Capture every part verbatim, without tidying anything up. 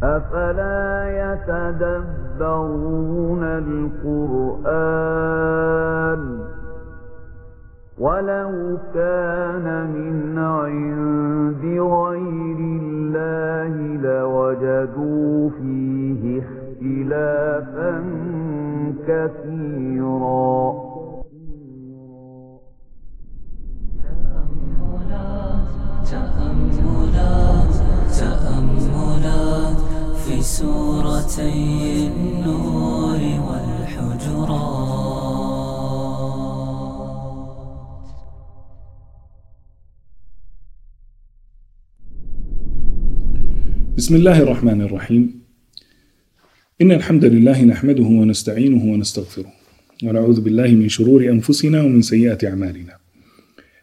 أفلا يتدبرون القرآن ولو كان من عند غير الله لوجدوا فيه اختلافا كثيرا. تأملات تأملات في سورتي النور والحجرات. بسم الله الرحمن الرحيم. إن الحمد لله نحمده ونستعينه ونستغفره، ونعوذ بالله من شرور أنفسنا ومن سيئات أعمالنا.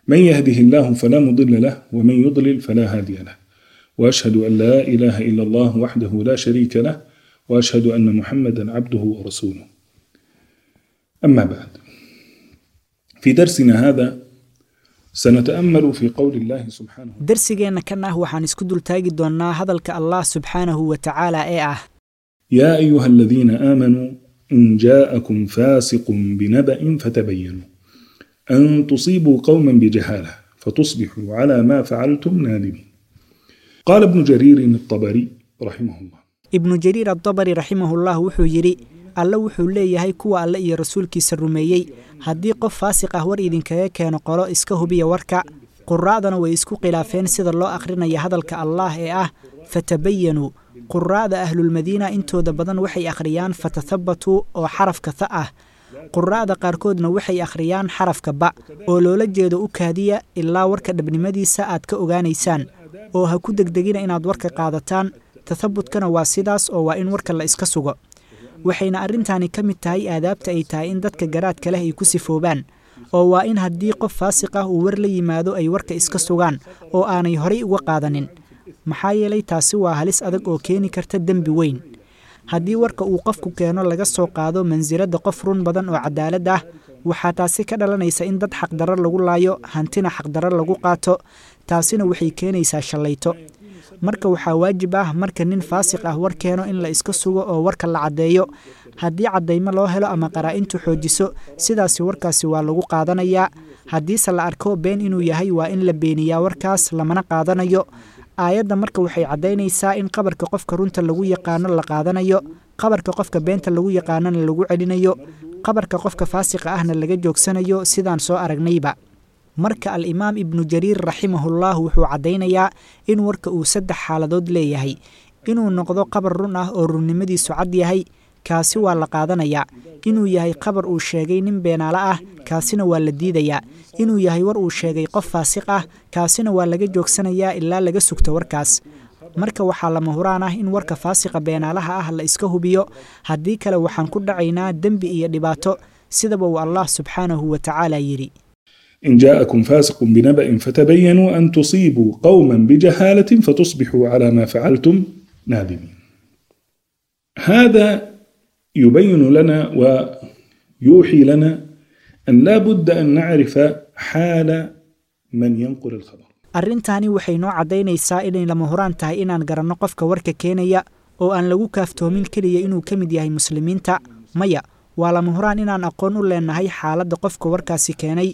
من يهده الله فلا مضل له، ومن يضلل فلا هادي له، وأشهد أن لا إله إلا الله وحده لا شريك له، وأشهد أن محمدا عبده ورسوله. أما بعد، في درسنا هذا سنتأمل في قول الله سبحانه. Darsigeenna kan ah waxaan isku dultaagi doonnaa hadalka Allah subxaanahu wa tacaala ee ah: يا أيها الذين آمنوا إن جاءكم فاسق بنبأ فتبينوا أن تصيبوا قوما بجهالة فتصبحوا على ما فعلتم نادمين. قال ابن جرير الطبري رحمه الله. Ibnu Jariir Addabari raximahullah wuxuu yidhi: Alle wuxuu leeyahay, kuwa Alle iyo rasuulkiisa rumeeyey, haddii qof faasiq ah war idinkaga keeno qolo, iska hubiya warka. Quraa'dana way isku khilaafeen sida loo akhrinaya hadalka Allaah ee ah fatabayanuu. Quraa'da ahlulmadiina intooda badan waxay akhriyaan fatathabatuu oo xarafka tha ah. Quraa'da qaarkoodna waxay akhriyaan xarafka ba, oo loola jeedo u kaadiya ilaa warka dhabnimadiisa aad ka ogaanaysaan, oo ha ku degdegina inaad warka qaadataan. Tathabutkana waa sidaas, oo waa in warka la iska sugo. Waxayna arrintaani ka mid tahay aadaabta ay tahay in dadka garaadka leh ay ku sifoobaan, oo waa in haddii qof faasiq ah uu war la yimaado ay warka iska sugaan oo aanay horay uga qaadanin, maxaa yeelay taasi waa halis adag oo keeni karta dembi weyn. Haddii warka uu qofku keeno laga soo qaado mansiladda qof run badan oo cadaalad ah, waxaa taasi ka dhalanaysa in dad xaqdarro lagu laayo, hantina xaqdarro lagu qaato. Taasina waxay keenaysaa shallayto. Marka waxaa waajib ah marka nin faasiq ah war keeno in la iska sugo oo warka la caddeeyo. Haddii caddaymo loo helo ama qaraa'intu xoojiso, sidaasi warkaasi waa lagu qaadanayaa. Haddiise la arko been inuu yahay, waa in la beeniyaa warkaas, lamana qaadanayo. Aayadda marka waxay caddaynaysaa in qabarka qofka runta lagu yaqaano la qaadanayo, qabarka qofka beenta lagu yaqaanona lagu celinayo, qabarka qofka faasiqa ahna laga joogsanayo, sidaan soo aragnayba. Marka Al-imaam Ibnu Jariir raximahullah wuxuu caddaynayaa in warka uu saddex xaaladood leeyahay: inuu noqdo qabar run ah oo runnimadiisu cad yahay, kaasi waa la qaadanayaa; inuu yahay qabar uu sheegay nin beenaale ah, kaasina waa la diidayaa; inuu yahay war uu sheegay qof faasiq ah, kaasina waa laga joogsanayaa ilaa laga sugto warkaas. Marka waxaa lama huraan ah in warka faasiqa beenaalaha ah la iska hubiyo. Haddii kale waxaan ku dhacaynaa dembi iyo dhibaato, sidaba uu Allah subxaanahu wa tacaala yidhi: إن جاءكم فاسق بنبأ فتبينوا أن تصيبوا قوما بجهالة فتصبحوا على ما فعلتم نادمين. هذا يبين لنا ويوحي لنا أن لا بد أن نعرف حال من ينقل الخبر. Arrintaani waxay noo caddaynaysaa inay lama huraan tahay inaan garanno qofka warka keenaya, oo aan lagu kaaftoomin keliya inuu ka mid yahay muslimiinta. Maya, waa lama huraan inaan aqoon u leenahay xaaladda qofka warkaasi keenay.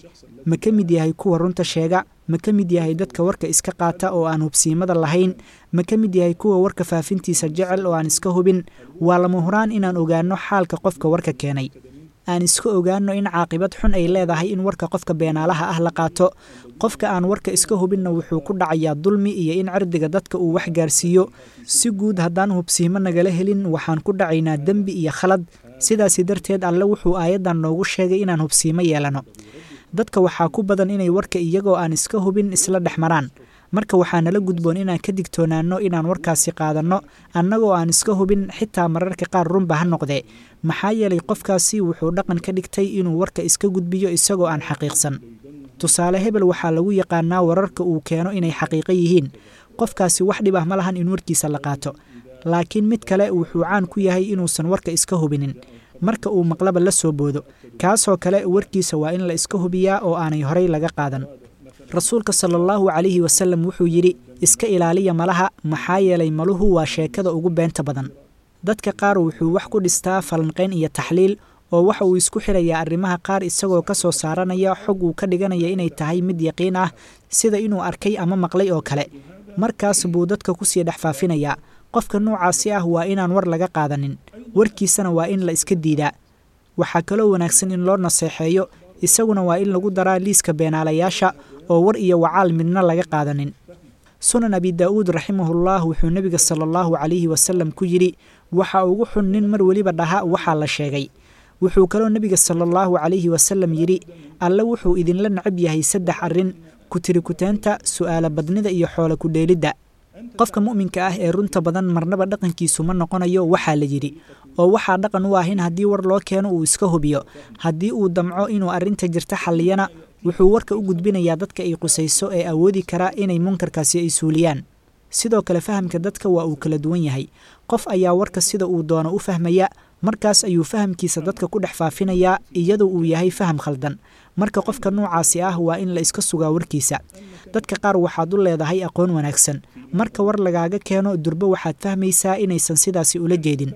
Ma ka mid yahay kuwa runta sheega? Ma ka mid yahay dadka warka iska qaata oo aan hubsiimada lahayn? Ma ka mid yahay kuwa warka faafintiisa jecel oo aan iska hubin? Waa lama huraan inaan ogaanno xaalka qofka warka keenay. Aan iska ogaanno in caaqibad xun ay leedahay in warka qofka beenaalaha ah la qaato. Qofka aan warka iska hubinna wuxuu ku dhacayaa dulmi iyo in cirdiga dadka uu wax gaarsiiyo. Si guud, haddaan hubsiimo nagala helin, waxaan ku dhacaynaa dembi iyo khalad. Sidaasi darteed Alle wuxuu aayaddan noogu sheegay inaan hubsiimo yeelano. Dadka waxaa ku badan inay warka iyagoo aan iska hubin isla dhex maraan. Marka waxaa nala gudboon inaan ka digtoonaanno inaan warkaasi qaadanno annagoo aan iska hubin, xitaa mararka qaar runba ha noqdee, maxaa yeelay qofkaasi wuxuu dhaqan ka dhigtay inuu warka iska gudbiyo isagoo aan xaqiiqsan. Tusaale, hebel waxaa lagu yaqaanaa wararka uu keeno inay xaqiiqo yihiin. Qofkaasi wax dhib ah ma lahan in warkiisa la qaato. Laakiin mid kale wuxuu caan ku yahay inuusan warka iska hubinin, marka uu maqlaba la soo boodo. Kaasoo kale warkiisa waa in la iska hubiyaa oo aanay horay laga qaadan. Rasuulka sala Allahu calayhi wasalam wuxuu yidhi: Iska ilaaliya malaha, maxaa yeelay maluhu waa sheekada ugu beenta badan. Dadka qaar wuxuu wax ku dhistaa falanqayn iyo taxliil, oo waxa uu isku xirayaa arrimaha qaar isagoo ka soo saaranaya xog uu ka dhiganaya inay tahay mid yaqiin ah, sida inuu arkay ama maqlay oo kale. Markaas buu dadka kusii dhex faafinayaa. Qofka noocaasi ah waa inaan war laga qaadanin, warkiisana waa in la iska diidaa. Waxaa kaloo wanaagsan in loo naseexeeyo, isaguna waa in lagu daraa liiska beenaalayaasha oo war iyo wacaal midna laga qaadanin. Sunan Abi Daa'uud raximahullah wuxuu nebiga sala allahu calayhi wasalam ku yidhi: waxa ugu xun nin mar weliba dhaha waxaa la sheegay. Wuxuu kaloo nebiga sala allahu calayhi wasalam yidhi: Alle wuxuu idinla necab yahay saddex arrin: ku-tirikuteenta, su'aala badnida iyo xoolo ku-dheelidda. Qofka mu'minka ah ee runta badan marnaba dhaqankiisu ma noqonayo waxaa la yidhi, oo waxaa dhaqan u ah in haddii war loo keeno uu iska hubiyo. Haddii uu damco inuu arrinta jirta xalliyana, wuxuu warka u gudbinayaa dadka ay qusayso ee awoodi kara inay munkarkaasi ay suuliyaan. Sidoo kale fahamka dadka waa uu kala duwan yahay. Qof ayaa warka sida uu doono u fahmaya, markaas ayuu fahamkiisa dadka ku dhex faafinayaa iyadoo uu yahay faham khaldan. Marka qofka noocaasi ah waa in la iska sugaa warkiisa. Dadka qaar waxaad u leedahay aqoon wanaagsan, marka war lagaaga keeno durbo waxaad fahmaysaa inaysan sidaasi ula jeedin.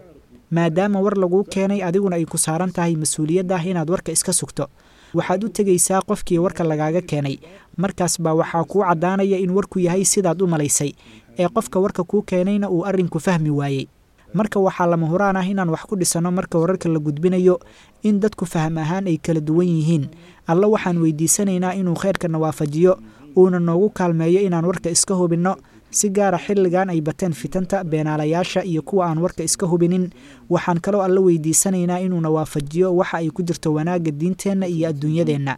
Maadaama war laguu keenay, adiguna ay ku saaran tahay mas-uuliyadda ah inaad warka iska sugto, waxaad u tegaysaa qofkii warka lagaaga keenay. Markaas baa waxaa kuu caddaanaya in warku yahay sidaad u malaysay, ee qofka warka kuu keenayna uu arrinku fahmi waayey. Marka waxaa lama huraan ah inaan wax ku dhisanno marka wararka la gudbinayo in dadku faham ahaan ay kala duwan yihiin. Alla waxaan weydiisanaynaa inuu khayrkana waafajiyo, uuna noogu kaalmeeyo inaan warka iska hubinno, si gaara xilligan ay bateen fitanta, beenaalayaasha iyo kuwa aan warka iska hubinin. Waxaan kaloo alla weydiisanaynaa inuuna waafajiyo waxa ay ku jirto wanaagga diinteenna iyo adduunyadeenna.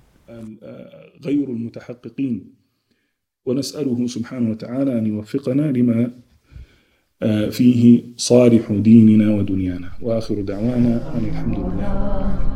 غير المتحققين، ونسأله سبحانه وتعالى أن يوفقنا لما فيه صالح ديننا ودنيانا. وآخر دعوانا أن الحمد لله.